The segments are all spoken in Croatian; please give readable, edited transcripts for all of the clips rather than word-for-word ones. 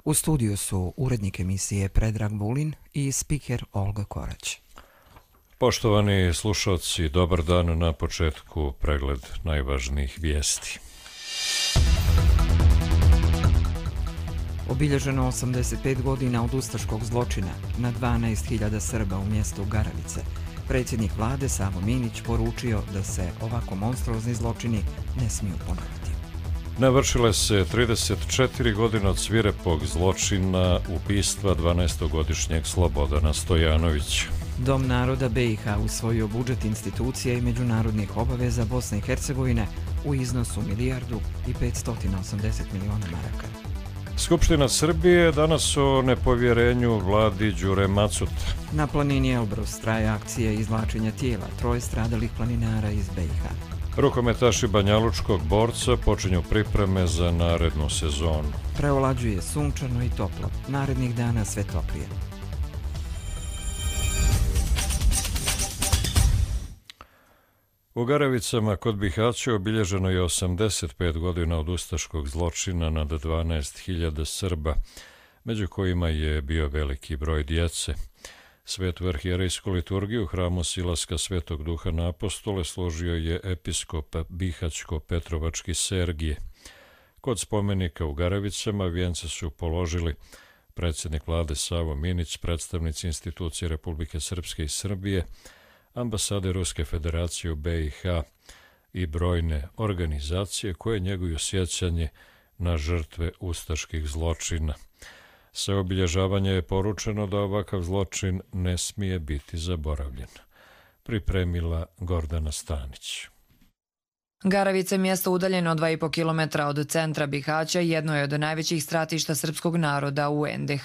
U studiju su urednik emisije Predrag Vulin i spiker Olga Korać. Poštovani slušalci, dobar dan. Na početku pregled najvažnijih vijesti. Obilježeno 85 godina od ustaškog zločina na 12.000 Srba u mjestu Garavice. Predsjednik vlade Savo Minić poručio da se ovako monstruozni zločini ne smiju ponoviti. Navršile se 34 godine od svirepog zločina ubistva 12-godišnjeg Slobodana Stojanovića. Dom naroda BiH usvojio budžet institucija i međunarodnih obaveza Bosne i Hercegovine u iznosu milijardu i 580 miliona maraka. Skupština Srbije danas o nepovjerenju vladi Đure Macuta. Na planini Elbrus traje akcija izvlačenja tijela 3 stradalih planinara iz BiH. Rukometaši banjalučkog borca počinju pripreme za narednu sezonu. Preolađuje sunčano i toplo, narednih dana sve toplije. U Garavicama kod Bihaća obilježeno je 85 godina od ustaškog zločina nad 12.000 Srba, među kojima je bio veliki broj djece. Svetu arhijerejsku liturgiju u hramu Silaska Svetog Duha na Apostole složio je episkop Bihaćko-Petrovački Sergije. Kod spomenika u Garavicama vijence su položili predsjednik vlade Savo Minić, predstavnici institucije Republike Srpske i Srbije, ambasade Ruske federacije u BiH i brojne organizacije koje njeguju sjećanje na žrtve ustaških zločina. Sa obilježavanja je poručeno da ovakav zločin ne smije biti zaboravljen. Pripremila Gordana Stanić. Garavice, mjesto udaljeno 2,5 km od centra Bihaća, jedno je od najvećih stratišta srpskog naroda u NDH.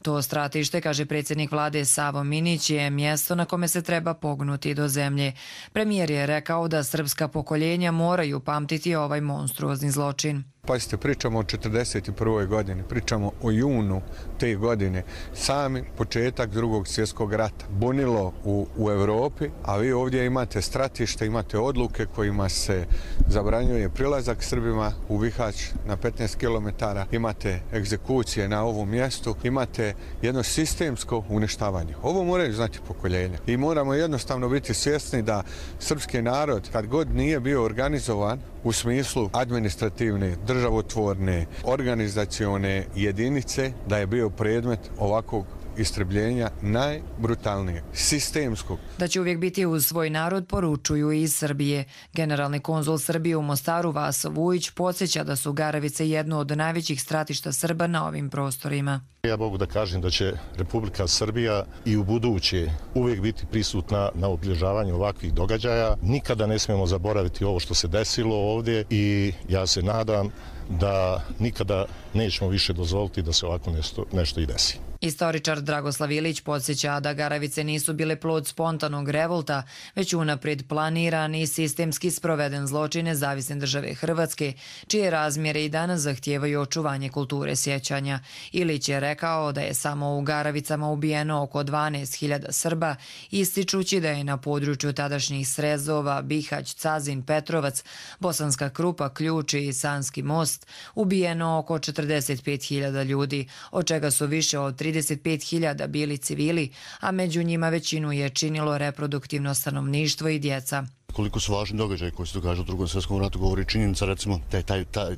To stratište, kaže predsjednik vlade Savo Minić, je mjesto na kome se treba pognuti do zemlje. Premijer je rekao da srpska pokoljenja moraju pamtiti ovaj monstruozni zločin. Pazite, pričamo o 1941. godini, pričamo o junu te godine, sami početak Drugog svjetskog rata. Bunilo u Europi, a vi ovdje imate stratište, imate odluke kojima se zabranjuje prilazak Srbima u Bihać na 15 km, imate egzekucije na ovom mjestu, imate jedno sistemsko uništavanje. Ovo moraju znati pokoljenja i moramo jednostavno biti svjesni da srpski narod, kad god nije bio organizovan u smislu administrativne, državotvorne, organizacione jedinice, da je bio predmet ovakvog istrebljenja najbrutalnijeg, sistemskog. Da će uvijek biti uz svoj narod poručuju i iz Srbije. Generalni konzul Srbije u Mostaru Vaso Vujić podsjeća da su Garavice jedno od najvećih stratišta Srba na ovim prostorima. Ja mogu da kažem da će Republika Srbija i u buduće uvijek biti prisutna na obilježavanju ovakvih događaja. Nikada ne smijemo zaboraviti ovo što se desilo ovdje i ja se nadam da nikada nećemo više dozvoliti da se ovako nešto i desi. Istoričar Dragoslav Ilić podsjeća da Garavice nisu bile plod spontanog revolta, već unaprijed planiran i sistemski sproveden zločin Nezavisne države Hrvatske, čije razmjere i danas zahtijevaju očuvanje kulture sjećanja. Ilić je rekao da je samo u Garavicama ubijeno oko 12.000 Srba, ističući da je na području tadašnjih Srezova, Bihać, Cazin, Petrovac, Bosanska Krupa, Ključ i Sanski most ubijeno oko 45.000 ljudi, od čega su više od 35.000 bili civili, a među njima većinu je činilo reproduktivno stanovništvo i djeca. Koliko su važni događaji koji se događaju u Drugom svjetskom ratu govori činjenica, recimo,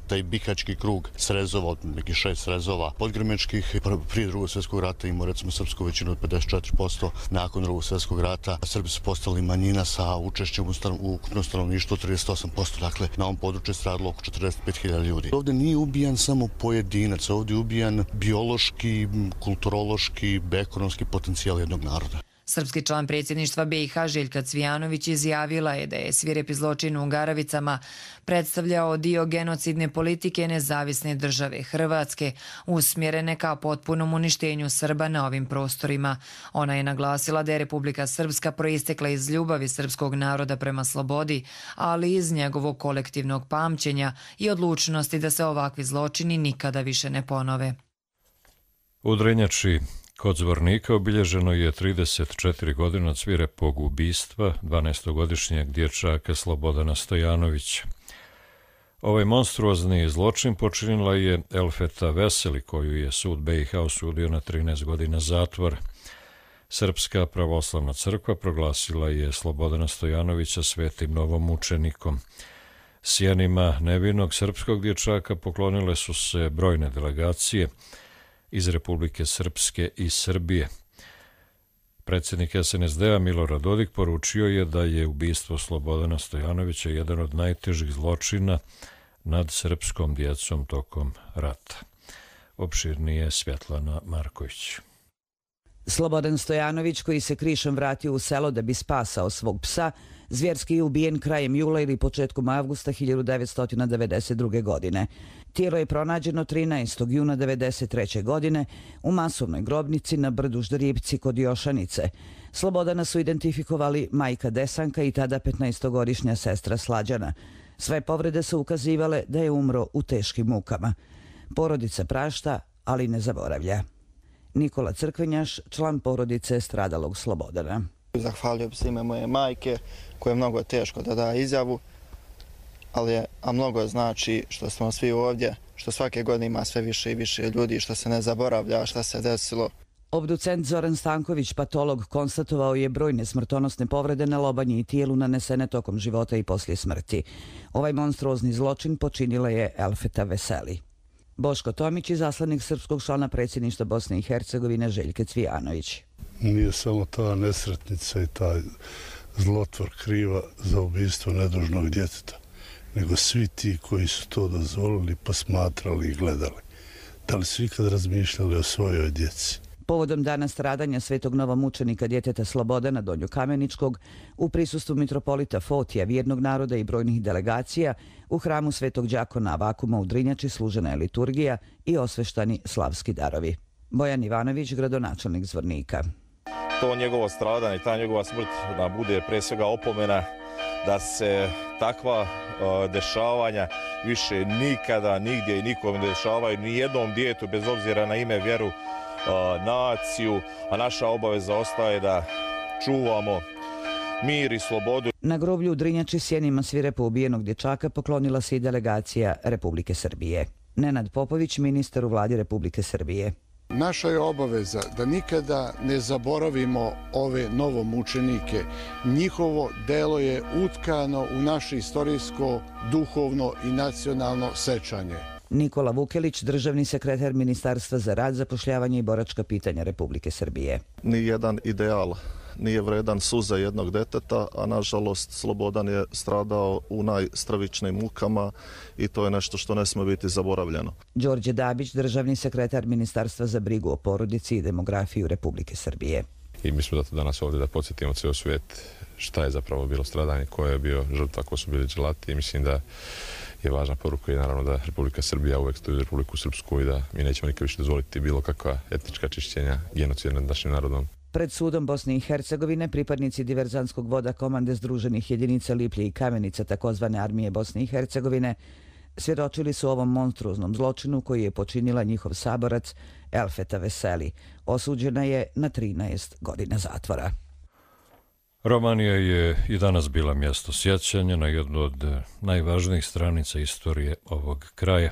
taj bihaćki krug srezova, od nekih 6 srezova podgrmečkih, prije Drugog svjetskog rata imao recimo srpsku većinu od 54%, nakon Drugog svjetskog rata Srbi su postali manjina sa učešćem u ukupnom stanovništvu 38%, dakle na ovom području je stradalo oko 45.000 ljudi. Ovdje nije ubijan samo pojedinac, ovdje je ubijan biološki, kulturološki, ekonomski potencijal jednog naroda. Srpski član predsjedništva BiH Željka Cvijanović izjavila je da je svirepi zločin u Garavicama predstavljao dio genocidne politike Nezavisne države Hrvatske, usmjerene ka potpunom uništenju Srba na ovim prostorima. Ona je naglasila da je Republika Srpska proistekla iz ljubavi srpskog naroda prema slobodi, ali iz njegovog kolektivnog pamćenja i odlučnosti da se ovakvi zločini nikada više ne ponove. U Drenjači kod Zvornika obilježeno je 34 godina od svirepog ubistva 12-godišnjeg dječaka Slobodana Stojanovića. Ovaj monstruozni zločin počinila je Elfeta Veseli, koju je sud BiH osudio na 13 godina zatvora. Srpska pravoslavna crkva proglasila je Slobodana Stojanovića svetim novomučenikom. Sjenima nevinog srpskog dječaka poklonile su se brojne delegacije iz Republike Srpske i Srbije. Predsjednik SNSD-a Milorad Dodik poručio je da je ubistvo Slobodana Stojanovića jedan od najtežih zločina nad srpskom djecom tokom rata. Opširnije Svjetlana Marković. Slobodan Stojanović, koji se krišom vratio u selo da bi spasao svog psa, zvjerski je ubijen krajem jula ili početkom avgusta 1992. godine. Tijelo je pronađeno 13. juna 1993. godine u masovnoj grobnici na brdu Ždripci kod Jošanice. Slobodana su identifikovali majka Desanka i tada 15-godišnja sestra Slađana. Sve povrede su ukazivale da je umro u teškim mukama. Porodica prašta, ali ne zaboravlja. Nikola Crkvenjaš, član porodice stradalog Slobodana. Zahvalio bi se ime moje majke, koje je mnogo teško da da izjavu, a mnogo znači što smo svi ovdje, što svake godine ima sve više i više ljudi, što se ne zaboravlja šta se desilo. Obducent Zoran Stanković, patolog, konstatovao je brojne smrtonosne povrede na lobanji i tijelu nanesene tokom života i poslije smrti. Ovaj monstruozni zločin počinila je Elfeta Veseli. Boško Tomić, izaslanik srpskog člana predsjedništva Bosne i Hercegovine Željke Cvijanović. Nije samo ta nesretnica i taj zlotvor kriva za ubistvo nedužnog djeteta, nego svi ti koji su to dozvolili, posmatrali i gledali. Da li su ikad razmišljali o svojoj djeci? Povodom dana stradanja svetog novomučenika djeteta Slobodana Donjokameničkog, u prisustvu mitropolita Fotija, vjernog naroda i brojnih delegacija, u hramu Svetog Đakona Avakuma u Drinjači služena je liturgija i osveštani slavski darovi. Bojan Ivanović, gradonačelnik Zvornika. To njegovo stradanje, ta njegova smrt da bude pre svega opomena da se takva dešavanja više nikada, nigdje i nikom ne dešavaju, ni jednom djetetu bez obzira na ime, vjeru, naciju, a naša obaveza ostaje da čuvamo mir i slobodu. Na groblju u Drinjači sjenima svirepo ubijenog dječaka poklonila se i delegacija Republike Srbije. Nenad Popović, ministar u vladi Republike Srbije. Naša je obaveza da nikada ne zaboravimo ove novomučenike. Njihovo delo je utkano u naše istorijsko, duhovno i nacionalno sećanje. Nikola Vukelić, državni sekretar Ministarstva za rad, zapošljavanje i boračka pitanja Republike Srbije. Nijedan ideal nije vredan suza jednog deteta, a nažalost Slobodan je stradao u najstravičnijim mukama i to je nešto što ne smije biti zaboravljeno. Đorđe Dabić, državni sekretar Ministarstva za brigu o porodici i demografiju Republike Srbije. I mi smo danas ovdje da podsjetimo cijel svijet šta je zapravo bilo stradanje, ko je bio žrtva, ko su bili dželati, i mislim da je važna poruka i naravno da Republika Srbija uvijek stoji za Republiku Srpsku i da mi nećemo nikad više dozvoliti bilo kakva etnička čišćenja, genocida nad našim narodom. Pred sudom Bosne i Hercegovine pripadnici diverzantskog voda komande Združenih jedinica Liplje i Kamenica takozvane armije Bosne i Hercegovine svjedočili su ovom monstruoznom zločinu koji je počinila njihov saborac Elfeta Veseli. Osuđena je na 13 godina zatvora. Romanija je i danas bila mjesto sjećanja na jednu od najvažnijih stranica istorije ovog kraja.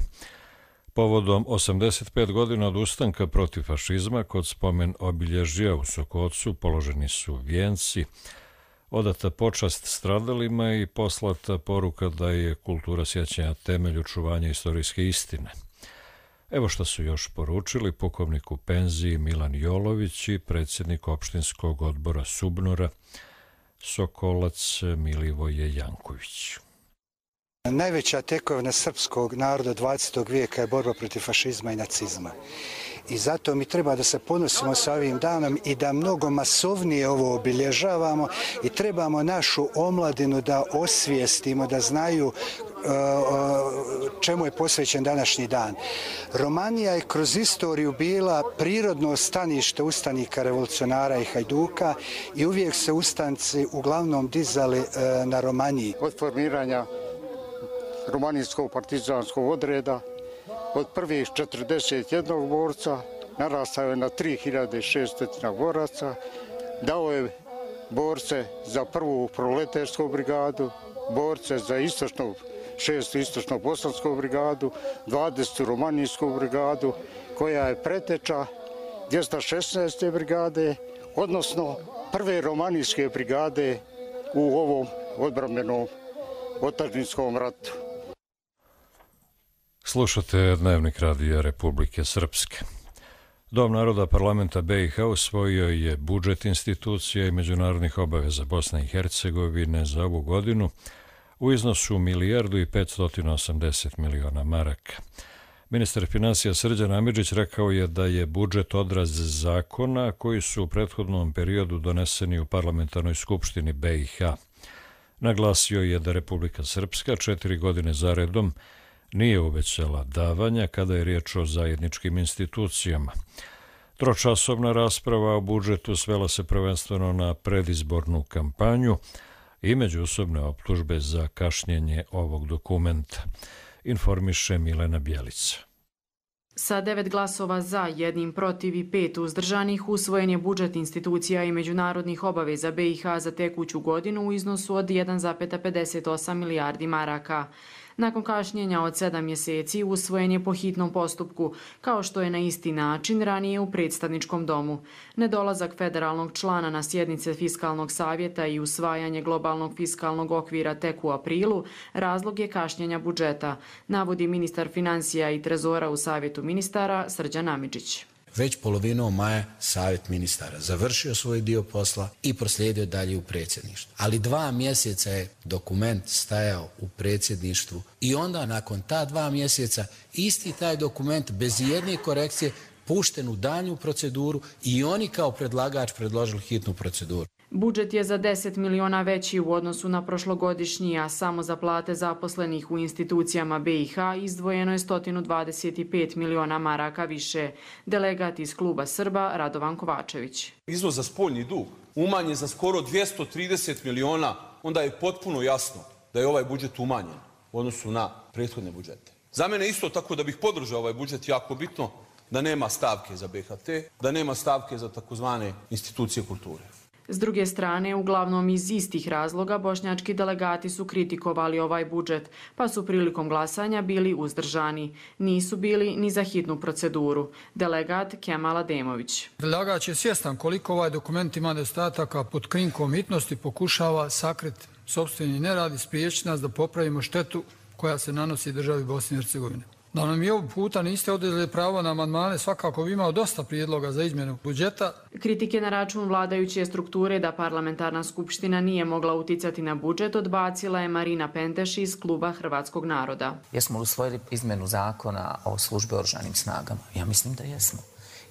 Povodom 85 godina od ustanka protiv fašizma kod spomen obilježja u Sokocu položeni su vijenci, odata počast stradalima i poslata poruka da je kultura sjećanja temelj očuvanja istorijske istine. Evo što su još poručili pukovnik u penziji Milan Jolović i predsjednik opštinskog odbora Subnora Sokolac Milivoje Janković. Najveća tekovina srpskog naroda 20. vijeka je borba protiv fašizma i nacizma. I zato mi treba da se ponosimo sa ovim danom i da mnogo masovnije ovo obilježavamo i trebamo našu omladinu da osvijestimo, da znaju čemu je posvećen današnji dan. Romanija je kroz istoriju bila prirodno stanište ustanika, revolucionara i hajduka i uvijek se ustanci uglavnom dizali na Romaniji. Od formiranja romanijskog partizanskog odreda, od prvih 41 borca narastao je na 3600 boraca, dao je borce za prvu proletarsku brigadu, borce za istočnu 6. istočno-bosansku brigadu, 20. romanijsku brigadu, koja je preteča 216. brigade, odnosno prve romanijske brigade u ovom odbrambenom otadžbinskom ratu. Slušate Dnevnik Radija Republike Srpske. Dom naroda parlamenta BiH usvojio je budžet institucija i međunarodnih obaveza Bosne i Hercegovine za ovu godinu u iznosu 1.580 miliona maraka. Ministar finansija Srđan Amidžić rekao je da je budžet odraz zakona koji su u prethodnom periodu doneseni u parlamentarnoj skupštini BiH. Naglasio je da Republika Srpska 4 godine zaredom nije uvećala davanja kada je riječ o zajedničkim institucijama. Tročasovna rasprava o budžetu svela se prvenstveno na predizbornu kampanju i međusobne optužbe za kašnjenje ovog dokumenta, informiše Milena Bjelica. Sa 9 glasova za, 1 protiv i 5 uzdržanih usvojen je budžet institucija i međunarodnih obaveza BiH za tekuću godinu u iznosu od 1,58 milijardi maraka. Nakon kašnjenja od 7 mjeseci usvojen je po hitnom postupku, kao što je na isti način ranije u predstavničkom domu. Nedolazak federalnog člana na sjednice Fiskalnog savjeta i usvajanje globalnog fiskalnog okvira tek u aprilu razlog je kašnjenja budžeta, navodi ministar finansija i trezora u Savjetu ministara Srđan Amidžić. Već polovinom maja Savjet ministara završio svoj dio posla i proslijedio dalje u predsjedništvu. Ali 2 mjeseca je dokument stajao u predsjedništvu i onda nakon ta 2 mjeseca isti taj dokument bez jedne korekcije pušten u daljnju proceduru i oni kao predlagač predložili hitnu proceduru. Budžet je za 10 miliona veći u odnosu na prošlogodišnji, a samo za plate zaposlenih u institucijama BiH izdvojeno je 125 miliona maraka više. Delegat iz kluba Srba Radovan Kovačević. Iznos za spoljni dug umanjen za skoro 230 miliona, onda je potpuno jasno da je ovaj budžet umanjen u odnosu na prethodne budžete. Za mene isto tako da bih podržao ovaj budžet jako bitno da nema stavke za BHT, da nema stavke za takozvane institucije kulture. S druge strane, uglavnom iz istih razloga, bošnjački delegati su kritikovali ovaj budžet, pa su prilikom glasanja bili uzdržani. Nisu bili ni za hitnu proceduru. Delegat Kemal Ademović. Predlagač je svjestan koliko ovaj dokument ima nedostataka, pod krinkom hitnosti pokušava sakriti sopstveni nerad i spriječiti nas da popravimo štetu koja se nanosi državi Bosne i Hercegovine. Da nam i ovog puta niste oduzeli pravo na amandmane, svakako bi imao dosta prijedloga za izmjenu budžeta. Kritike na račun vladajuće strukture da parlamentarna skupština nije mogla uticati na budžet odbacila je Marina Penteš iz kluba Hrvatskog naroda. Jesmo li usvojili izmjenu zakona o službi oružanim snagama? Ja mislim da jesmo.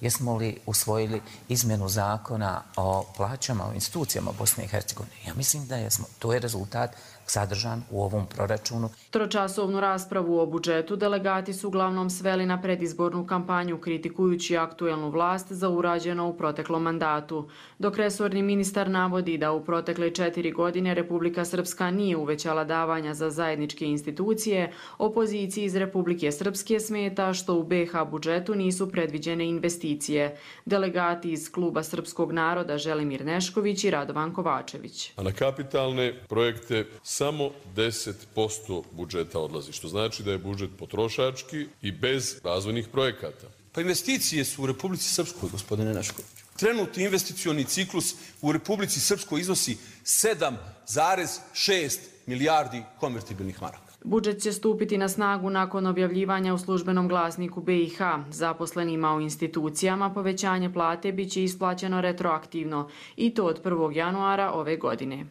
Jesmo li usvojili izmjenu zakona o plaćama u institucijama Bosne i Hercegovine? Ja mislim da jesmo. To je rezultat sadržan u ovom proračunu. Tročasovnu raspravu o budžetu delegati su uglavnom sveli na predizbornu kampanju kritikujući aktuelnu vlast za urađeno u proteklom mandatu. Dok resorni ministar navodi da u protekle 4 godine Republika Srpska nije uvećala davanja za zajedničke institucije, opoziciji iz Republike Srpske smeta što u BiH budžetu nisu predviđene investicije. Delegati iz kluba Srpskog naroda Želimir Nešković i Radovan Kovačević. A na kapitalne projekte samo 10% budžeta odlazi, što znači da je budžet potrošački i bez razvojnih projekata. Pa investicije su u Republici Srpskoj, gospodine Neškoviću. Trenutni investicioni ciklus u Republici Srpskoj iznosi 7,6 milijardi konvertibilnih maraka. Budžet će stupiti na snagu nakon objavljivanja u službenom glasniku BiH. Zaposlenima u institucijama povećanje plate biće isplaćeno retroaktivno i to od 1. januara ove godine.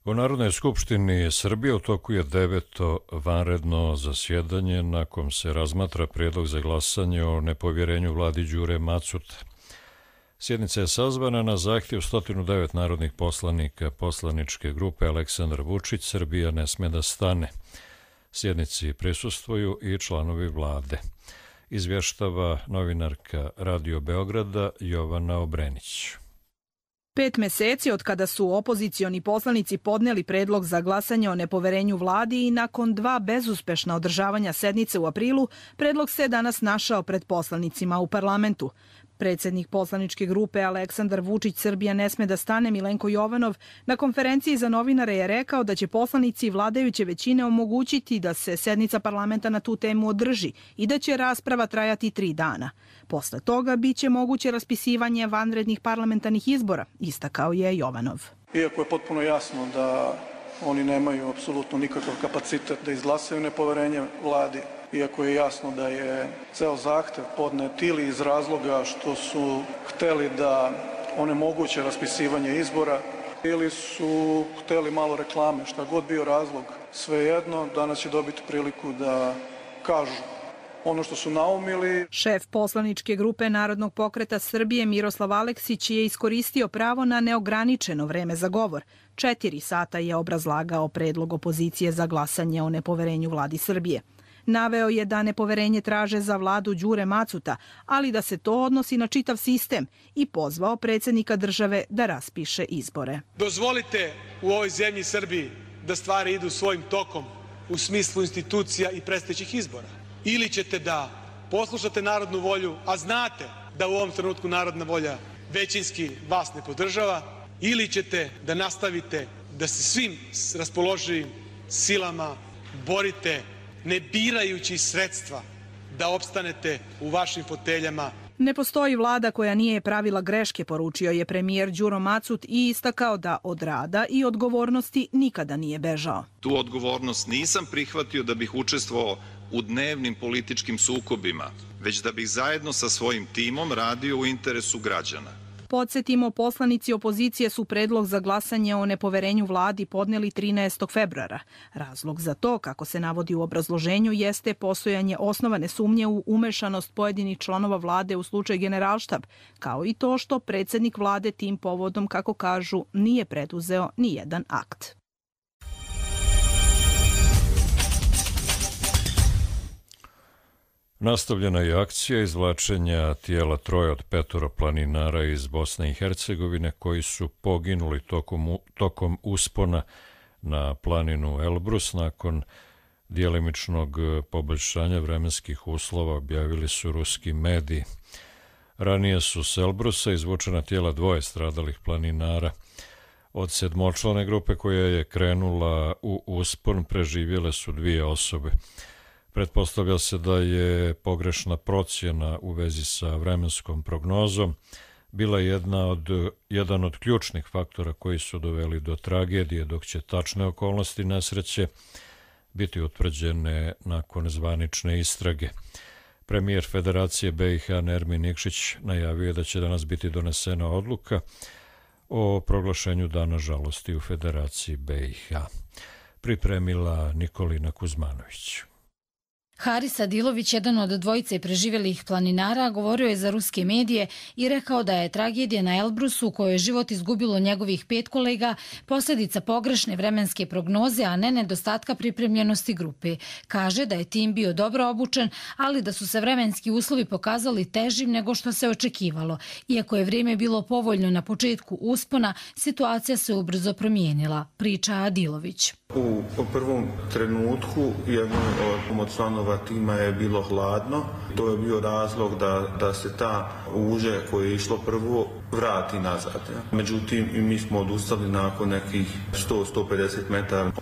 U Narodnoj skupštini Srbije u toku je 9. vanredno zasjedanje na kom se razmatra prijedlog za glasanje o nepovjerenju vladi Đure Macuta. Sjednica je sazvana na zahtjev 109 narodnih poslanika poslaničke grupe Aleksandar Vučić Srbija ne sme da stane. Sjednici prisustvuju i članovi vlade. Izvještava novinarka Radio Beograda Jovana Obrenić. 5 mjeseci od kada su opozicioni poslanici podneli predlog za glasanje o nepoverenju vladi i nakon 2 bezuspešna održavanja sednice u aprilu, predlog se danas našao pred poslanicima u parlamentu. Predsjednik poslaničke grupe Aleksandar Vučić Srbija ne sme da stane Milenko Jovanov na konferenciji za novinare je rekao da će poslanici vladajuće većine omogućiti da se sednica parlamenta na tu temu održi i da će rasprava trajati 3 dana. Posle toga biće moguće raspisivanje vanrednih parlamentarnih izbora, istakao je Jovanov. Iako je potpuno jasno da oni nemaju apsolutno nikakav kapacitet da izglasaju nepoverenje vladi, iako je jasno da je ceo zahtev podnet ili iz razloga što su hteli da onemoguće raspisivanje izbora ili su hteli malo reklame, šta god bio razlog. Svejedno, danas će dobiti priliku da kažu ono što su naumili. Šef poslaničke grupe Narodnog pokreta Srbije Miroslav Aleksić je iskoristio pravo na neograničeno vreme za govor. 4 sata je obrazlagao predlog opozicije za glasanje o nepoverenju vladi Srbije. Naveo je da nepoverenje traže za vladu Đure Macuta, ali da se to odnosi na čitav sistem i pozvao predsjednika države da raspiše izbore. Dozvolite u ovoj zemlji Srbiji da stvari idu svojim tokom u smislu institucija i predstojećih izbora. Ili ćete da poslušate narodnu volju, a znate da u ovom trenutku narodna volja većinski vas ne podržava, ili ćete da nastavite da se svim raspoloživim silama borite ne birajući sredstva da opstanete u vašim foteljama. Ne postoji vlada koja nije pravila greške, poručio je premijer Đuro Macut i istakao da od rada i odgovornosti nikada nije bežao. Tu odgovornost nisam prihvatio da bih učestvovao u dnevnim političkim sukobima, već da bih zajedno sa svojim timom radio u interesu građana. Podsjetimo, poslanici opozicije su predlog za glasanje o nepoverenju vladi podneli 13. februara. Razlog za to, kako se navodi u obrazloženju, jeste postojanje osnovane sumnje u umešanost pojedinih članova vlade u slučaj Generalštab, kao i to što predsjednik vlade tim povodom, kako kažu, nije preduzeo ni jedan akt. Nastavljena je akcija izvlačenja tijela 3 od 5 planinara iz Bosne i Hercegovine koji su poginuli tokom uspona na planinu Elbrus. Nakon djelimičnog poboljšanja vremenskih uslova, objavili su ruski mediji. Ranije su s Elbrusa izvučena tijela 2 stradalih planinara. Od 7-člane grupe koja je krenula u uspon preživjele su 2 osobe. Pretpostavlja se da je pogrešna procjena u vezi sa vremenskom prognozom bila jedan od ključnih faktora koji su doveli do tragedije, dok će tačne okolnosti nesreće biti utvrđene nakon zvanične istrage. Premijer Federacije BiH Nermin Nikšić najavio je da će danas biti donesena odluka o proglašenju Dana žalosti u Federaciji BiH. Pripremila Nikolina Kuzmanović. Haris Adilović, jedan od 2 preživjelih planinara, govorio je za ruske medije i rekao da je tragedija na Elbrusu, u kojoj je život izgubilo njegovih 5 kolega, posljedica pogrešne vremenske prognoze, a ne nedostatka pripremljenosti grupe. Kaže da je tim bio dobro obučen, ali da su se vremenski uslovi pokazali težim nego što se očekivalo. Iako je vrijeme bilo povoljno na početku uspona, situacija se ubrzo promijenila, priča Adilović. U prvom trenutku jednom od članova tima je bilo hladno. To je bio razlog da se ta uže koje je išlo prvo vrati nazad. Međutim, mi smo odustali nakon nekih 100-150 metara.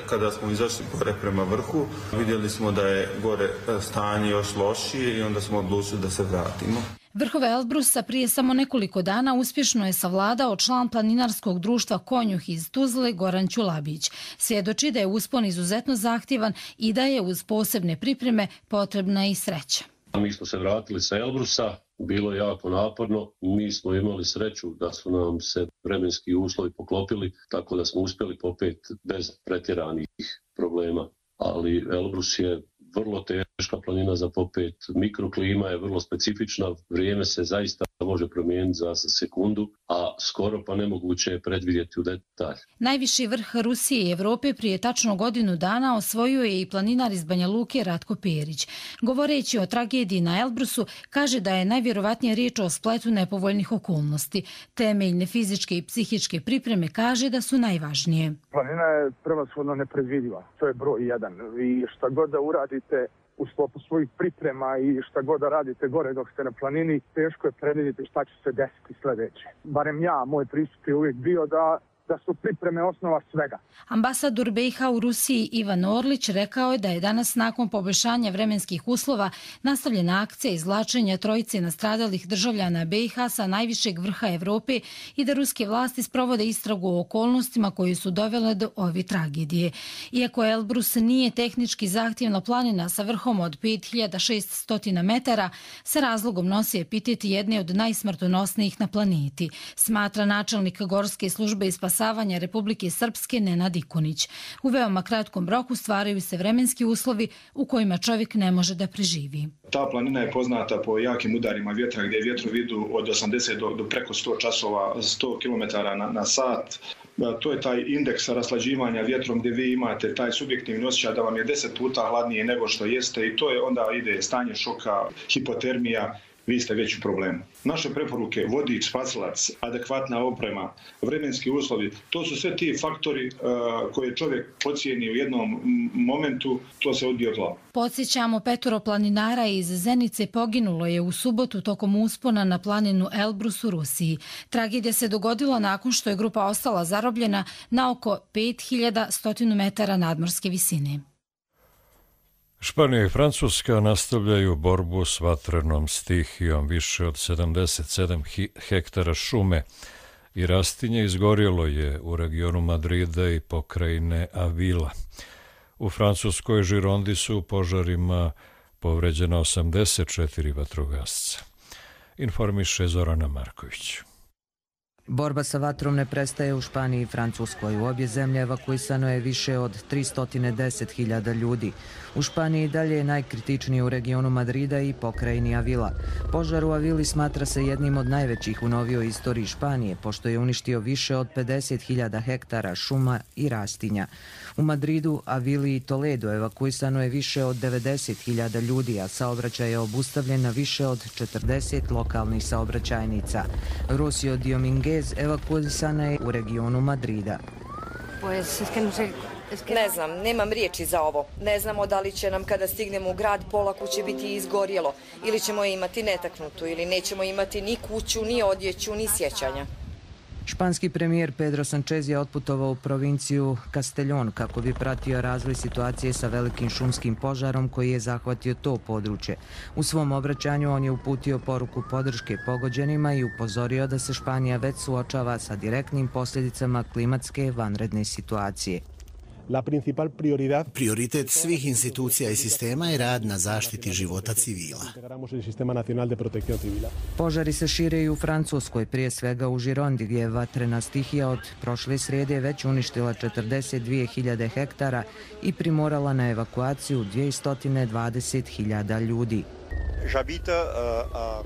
Kada smo izašli gore prema vrhu, vidjeli smo da je gore stanje još lošije i onda smo odlučili da se vratimo. Vrhove Elbrusa prije samo nekoliko dana uspješno je savladao član planinarskog društva Konjuh iz Tuzle Goran Ćulabić. Svjedoči da je uspon izuzetno zahtjevan i da je uz posebne pripreme potrebna i sreća. Mi smo se vratili sa Elbrusa, bilo je jako naporno, mi smo imali sreću da su nam se vremenski uslovi poklopili, tako da smo uspjeli popet bez pretjeranih problema. Ali Elbrus je vrlo teška planina za popet, mikroklima je vrlo specifična, vrijeme se zaista može promijeniti za sekundu, a skoro pa nemoguće je predvidjeti u detalj. Najviši vrh Rusije i Evrope prije tačno godinu dana osvojio je i planinar iz Banja Luke Ratko Perić. Govoreći o tragediji na Elbrusu, kaže da je najvjerovatnije riječ o spletu nepovoljnih okolnosti. Temeljne fizičke i psihičke pripreme kaže da su najvažnije. Planina je prevashodno nepredvidiva, to je broj 1 i šta god da uradite, u sklopu svojih priprema i šta god da radite gore dok ste na planini, teško je predvidjeti šta će se desiti sljedeće. Barem ja, moj pristup je uvijek bio da su pripreme osnova svega. Ambasador BiH u Rusiji Ivan Orlić rekao je da je danas nakon poboljšanja vremenskih uslova nastavljena akcija izvlačenja trojice nastradalih državljana BiH sa najvišeg vrha Evrope i da ruske vlasti sprovode istragu o okolnostima koje su dovele do ove tragedije. Iako Elbrus nije tehnički zahtjevna planina sa vrhom od 5600 metara, sa razlogom nosi epitet jedne od najsmrtonosnijih na planeti, smatra načelnik Gorske službe i spasavanja Republike Srpske Nenad Ikonić. U veoma kratkom roku stvaraju se vremenski uslovi u kojima čovjek ne može da preživi. Ta planina je poznata po jakim udarima vjetra gdje vjetrovi idu od 80 do preko 100 časova, 100 km na sat. To je taj indeks raslađivanja vjetrom gdje vi imate taj subjektivni osjećaj da vam je 10 puta hladnije nego što jeste i to je onda ide stanje šoka, hipotermija, vi ste već u problemu. Naše preporuke, vodič, spasilac, adekvatna oprema, vremenski uslovi, to su sve ti faktori koje čovjek pocijeni u jednom momentu, to se odbije od glava. Podsjećamo, 5 planinara iz Zenice poginulo je u subotu tokom uspona na planinu Elbrus u Rusiji. Tragedija se dogodila nakon što je grupa ostala zarobljena na oko 5100 metara nadmorske visine. Španija i Francuska nastavljaju borbu s vatrenom stihijom. Više od 77 hektara šume i rastinje izgorjelo je u regionu Madrida i pokrajine Avila. U francuskoj Žirondi su u požarima povređena 84 vatrogasca. Informiše Zorana Marković. Borba sa vatrom ne prestaje u Španiji i Francuskoj. U obje zemlje evakuisano je više od 310.000 ljudi. U Španiji dalje je najkritičniji u regionu Madrida i pokrajini Avila. Požar u Avili smatra se jednim od najvećih u novijoj istoriji Španije, pošto je uništio više od 50.000 hektara šuma i rastinja. U Madridu, Avili i Toledo evakuisano je više od 90.000 ljudi, a saobraćaj je obustavljen na više od 40 lokalnih saobraćajnica. Rosio Dominguez evakuisana je u regionu Madrida. Ne znam, nemam riječi za ovo. Ne znamo da li će nam kada stignemo u grad pola kuće biti izgorjelo, ili ćemo je imati netaknutu, ili nećemo imati ni kuću, ni odjeću, ni sjećanja. Španski premijer Pedro Sánchez je otputovao u provinciju Castellón kako bi pratio razvoj situacije sa velikim šumskim požarom koji je zahvatio to područje. U svom obraćanju on je uputio poruku podrške pogođenima i upozorio da se Španija već suočava sa direktnim posljedicama klimatske vanredne situacije. Prioritet svih institucija i sistema je rad na zaštiti života civila. Požari se šire i u Francuskoj, prije svega u Žirondi, gdje je vatrena stihija od prošle srijede već uništila 42.000 hektara i primorala na evakuaciju 220.000 ljudi.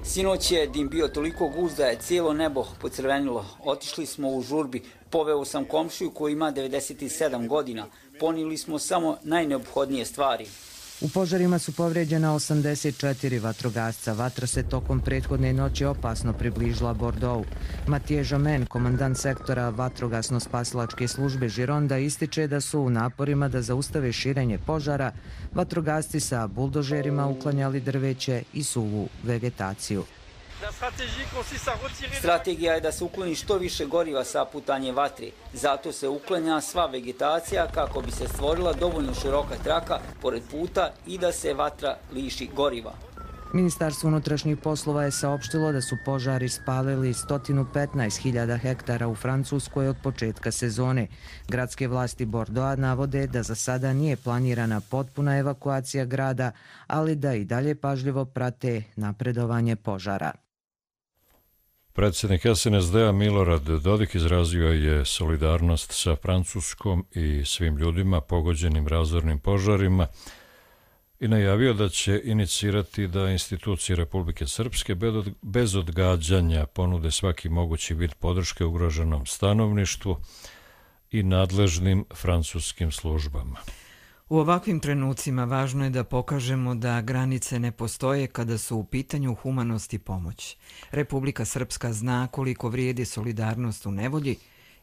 Sinoć je dim bio toliko gust da je cijelo nebo pocrvenilo. Otišli smo u žurbi. Poveo sam komšiju koji ima 97 godina. Ponijeli smo samo najneophodnije stvari. U požarima su povrijeđena 84 vatrogasca. Vatra se tokom prethodne noći opasno približila Bordeaux. Mathieu Jamen, komandant sektora vatrogasno-spasilačke službe Žironda, ističe da su u naporima da zaustave širenje požara vatrogasci sa buldožerima uklanjali drveće i suvu vegetaciju. Strategija je da se ukloni što više goriva sa putanje vatre. Zato se uklanja sva vegetacija kako bi se stvorila dovoljno široka traka pored puta i da se vatra liši goriva. Ministarstvo unutrašnjih poslova je saopštilo da su požari spalili 115.000 hektara u Francuskoj od početka sezone. Gradske vlasti Bordeauxa navode da za sada nije planirana potpuna evakuacija grada, ali da i dalje pažljivo prate napredovanje požara. Predsjednik SNSD-a Milorad Dodik izrazio je solidarnost sa Francuskom i svim ljudima pogođenim razornim požarima i najavio da će inicirati da institucije Republike Srpske bez odgađanja ponude svaki mogući vid podrške ugroženom stanovništvu i nadležnim francuskim službama. U ovakvim trenucima važno je da pokažemo da granice ne postoje kada su u pitanju humanost i pomoć. Republika Srpska zna koliko vrijedi solidarnost u nevolji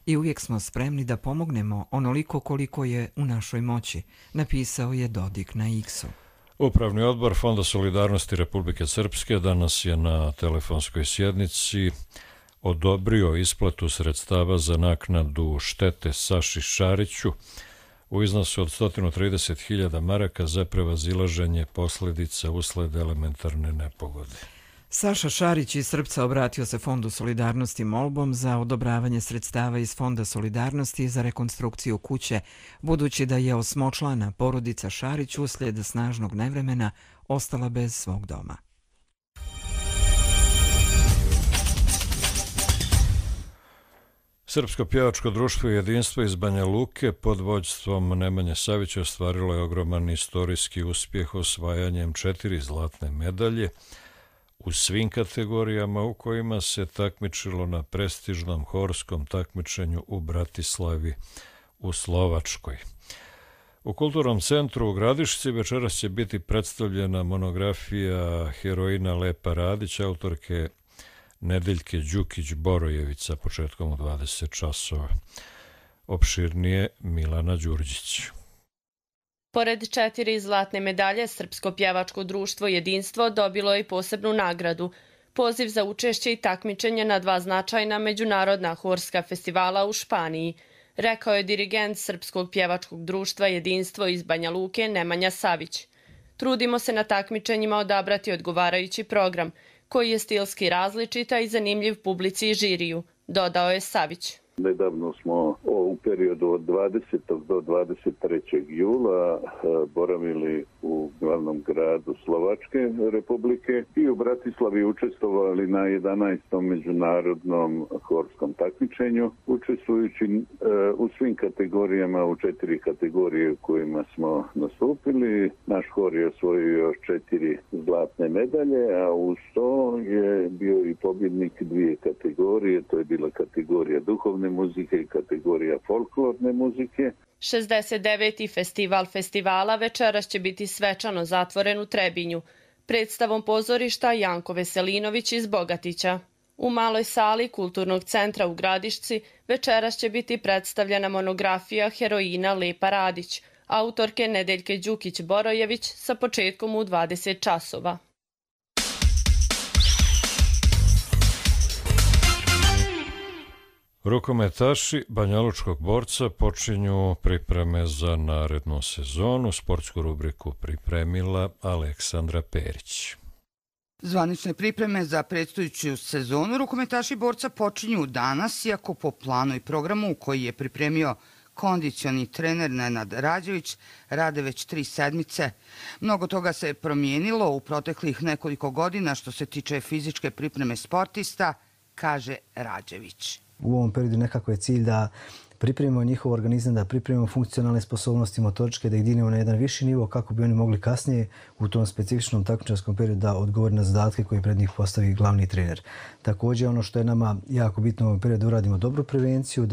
i uvijek smo spremni da pomognemo onoliko koliko je u našoj moći, napisao je Dodik na X-u. Upravni odbor Fonda solidarnosti Republike Srpske danas je na telefonskoj sjednici odobrio isplatu sredstava za naknadu štete Saši Šariću u iznosu od 130.000 maraka za prevazilaženje posljedica usled elementarne nepogode. Saša Šarić iz Srpca obratio se Fondu solidarnosti molbom za odobravanje sredstava iz Fonda solidarnosti za rekonstrukciju kuće, budući da je osmočlana porodica Šarić uslijed snažnog nevremena ostala bez svog doma. Srpsko pjevačko društvo Jedinstvo iz Banja Luke pod vođstvom Nemanje Savića ostvarilo je ogroman istorijski uspjeh osvajanjem 4 zlatne medalje u svim kategorijama u kojima se takmičilo na prestižnom horskom takmičenju u Bratislavi u Slovačkoj. U Kulturnom centru u Gradišci večeras će biti predstavljena monografija heroina Lepa Radić, autorke Nedeljke Đukić-Borojević sa početkom u 20 časova. Opširnije Milana Đurđić. Pored 4 zlatne medalje, Srpsko pjevačko društvo Jedinstvo dobilo je i posebnu nagradu. Poziv za učešće i takmičenje na 2 značajna međunarodna horska festivala u Španiji, rekao je dirigent Srpskog pjevačkog društva Jedinstvo iz Banja Luke Nemanja Savić. Trudimo se na takmičenjima odabrati odgovarajući program, koji je stilski različita i zanimljiv publici i žiriju, dodao je Savić. Nedavno smo u periodu od 20. do 23. jula boravili u glavnom gradu Slovačke republike i u Bratislavi učestvovali na 11. međunarodnom horskom takmičenju, učestvujući u svim kategorijama, u 4 kategorije u kojima smo nastupili. Naš hor je osvojio 4 zlatne medalje, a uz to je bio i pobjednik 2 kategorije, to je bila kategorija duhovne muzike i kategorija folklorne muzike. 69. festival festivala večeras će biti svečano zatvoren u Trebinju, predstavom pozorišta Janko Veselinović iz Bogatića. U maloj sali Kulturnog centra u Gradišci večeras će biti predstavljena monografija heroina Lepa Radić, autorke Nedeljke Đukić-Borojević sa početkom u 20 časova. Rukometaši Banjalučkog borca počinju pripreme za narednu sezonu. Sportsku rubriku pripremila Aleksandra Perić. Zvanične pripreme za predstojeću sezonu rukometaši borca počinju danas, iako po planu i programu koji je pripremio kondicioni trener Nenad Rađević rade već 3 sedmice. Mnogo toga se promijenilo u proteklih nekoliko godina što se tiče fizičke pripreme sportista, kaže Rađević. U ovom periodu nekako je cilj da pripremimo njihov organizam, da pripremimo funkcionalne sposobnosti motoričke, da ih dignemo na jedan viši nivo kako bi oni mogli kasnije u tom specifičnom takmičarskom periodu da odgovori na zadatke koje pred njih postavi glavni trener. Također ono što je nama jako bitno u ovom periodu uradimo dobru prevenciju,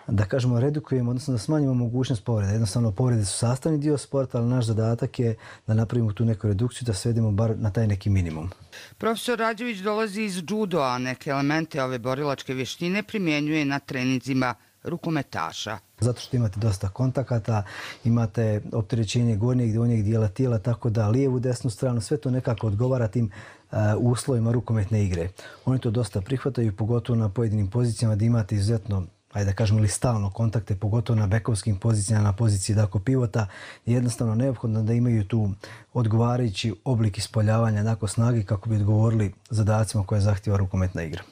da kažemo redukujemo, odnosno da smanjimo mogućnost povreda. Jednostavno povrede su sastavni dio sporta, ali naš zadatak je da napravimo tu neku redukciju, da svedemo bar na taj neki minimum. Profesor Rađević dolazi iz judo, a neke elemente ove borilačke vještine primjenjuje na treninzima rukometaša. Zato što imate dosta kontakata, imate opterećenje gornjeg i donjeg dijela tijela, tako da lijevu, desnu stranu, sve to nekako odgovara tim uslovima rukometne igre. Oni to dosta prihvataju, pogotovo na pojedinim pozicijama da imate izuzetno, ajde da kažemo, ili stalno kontakte, pogotovo na bekovskim pozicijama, na poziciji pivota, je jednostavno neophodno da imaju tu odgovarajući oblik ispoljavanja nakon snage kako bi odgovorili zadacima koje zahtjeva rukometna igra.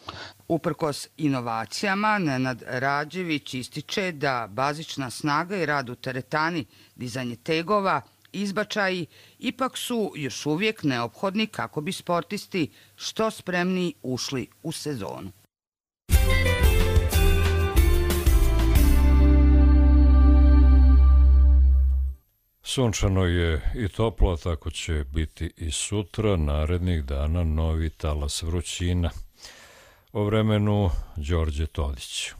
Uprkos inovacijama, Nenad Rađević ističe da bazična snaga i rad u teretani, dizanje tegova, izbačaji ipak su još uvijek neophodni kako bi sportisti što spremniji ušli u sezonu. Sunčano je i toplo, tako će biti i sutra, narednih dana novi talas vrućina. O vremenu Đorđe Todić.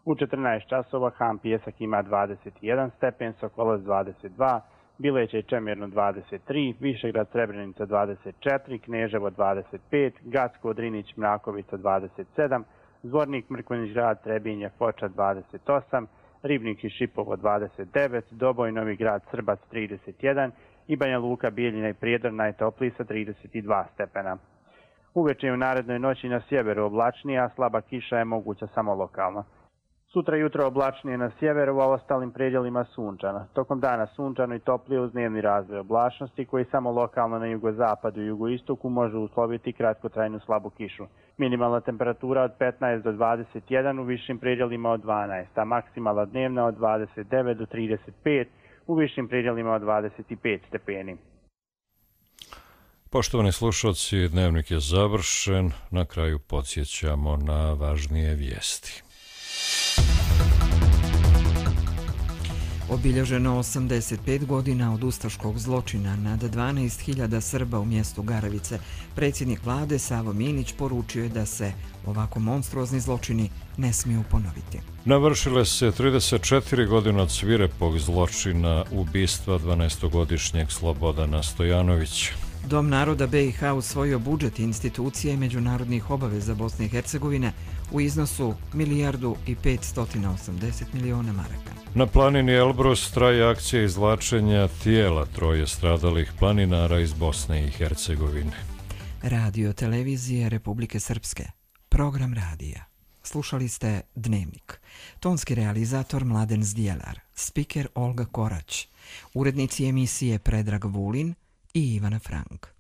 U 14 časova Ham Pijesak ima 21 stepen, Sokolac 22, Bileće i Čemirno 23, Višegrad Srebrenica 24, Kneževo 25, Gacko Drinić Mrakovica 27, Zvornik Mrkonjić Grad Trebinje Foča 28, Ribnik i Šipovo 29, Doboj Novi Grad Srbac 31 i Banja Luka, Bijeljina i Prijedor najtopliji sa 32 stepena. Uveče i u narednoj noći na sjeveru oblačnije, a slaba kiša je moguća samo lokalno. Sutra jutro oblačnije na sjeveru, a u ostalim predjelima sunčano. Tokom dana sunčano i toplije uz dnevni razvoj oblačnosti koji samo lokalno na jugozapadu i jugoistoku može usloviti kratkotrajnu slabu kišu. Minimalna temperatura od 15 do 21, u višim predjelima od 12, a maksimalna dnevna od 29 do 35, u višim predjelima od 25 stepeni. Poštovani slušalci, dnevnik je završen. Na kraju podsjećamo na važnije vijesti. Obilježeno 85 godina od ustaškog zločina nad 12.000 Srba u mjestu Garavice. Predsjednik vlade Savo Minić poručio je da se ovako monstruozni zločini ne smiju ponoviti. Navršile se 34 godine od svirepog zločina ubistva 12-godišnjeg Slobodana Stojanovića. Dom naroda BiH usvojio budžet institucije i međunarodnih obaveza Bosne i Hercegovine u iznosu 1.580 miliona maraka. Na planini Elbrus traje akcija izvlačenja tijela troje stradalih planinara iz Bosne i Hercegovine. Radio televizije Republike Srpske. Program radija. Slušali ste Dnevnik. Tonski realizator Mladen Zdjelar. Spiker Olga Korać. Urednici emisije Predrag Vulin i Ivana Frank.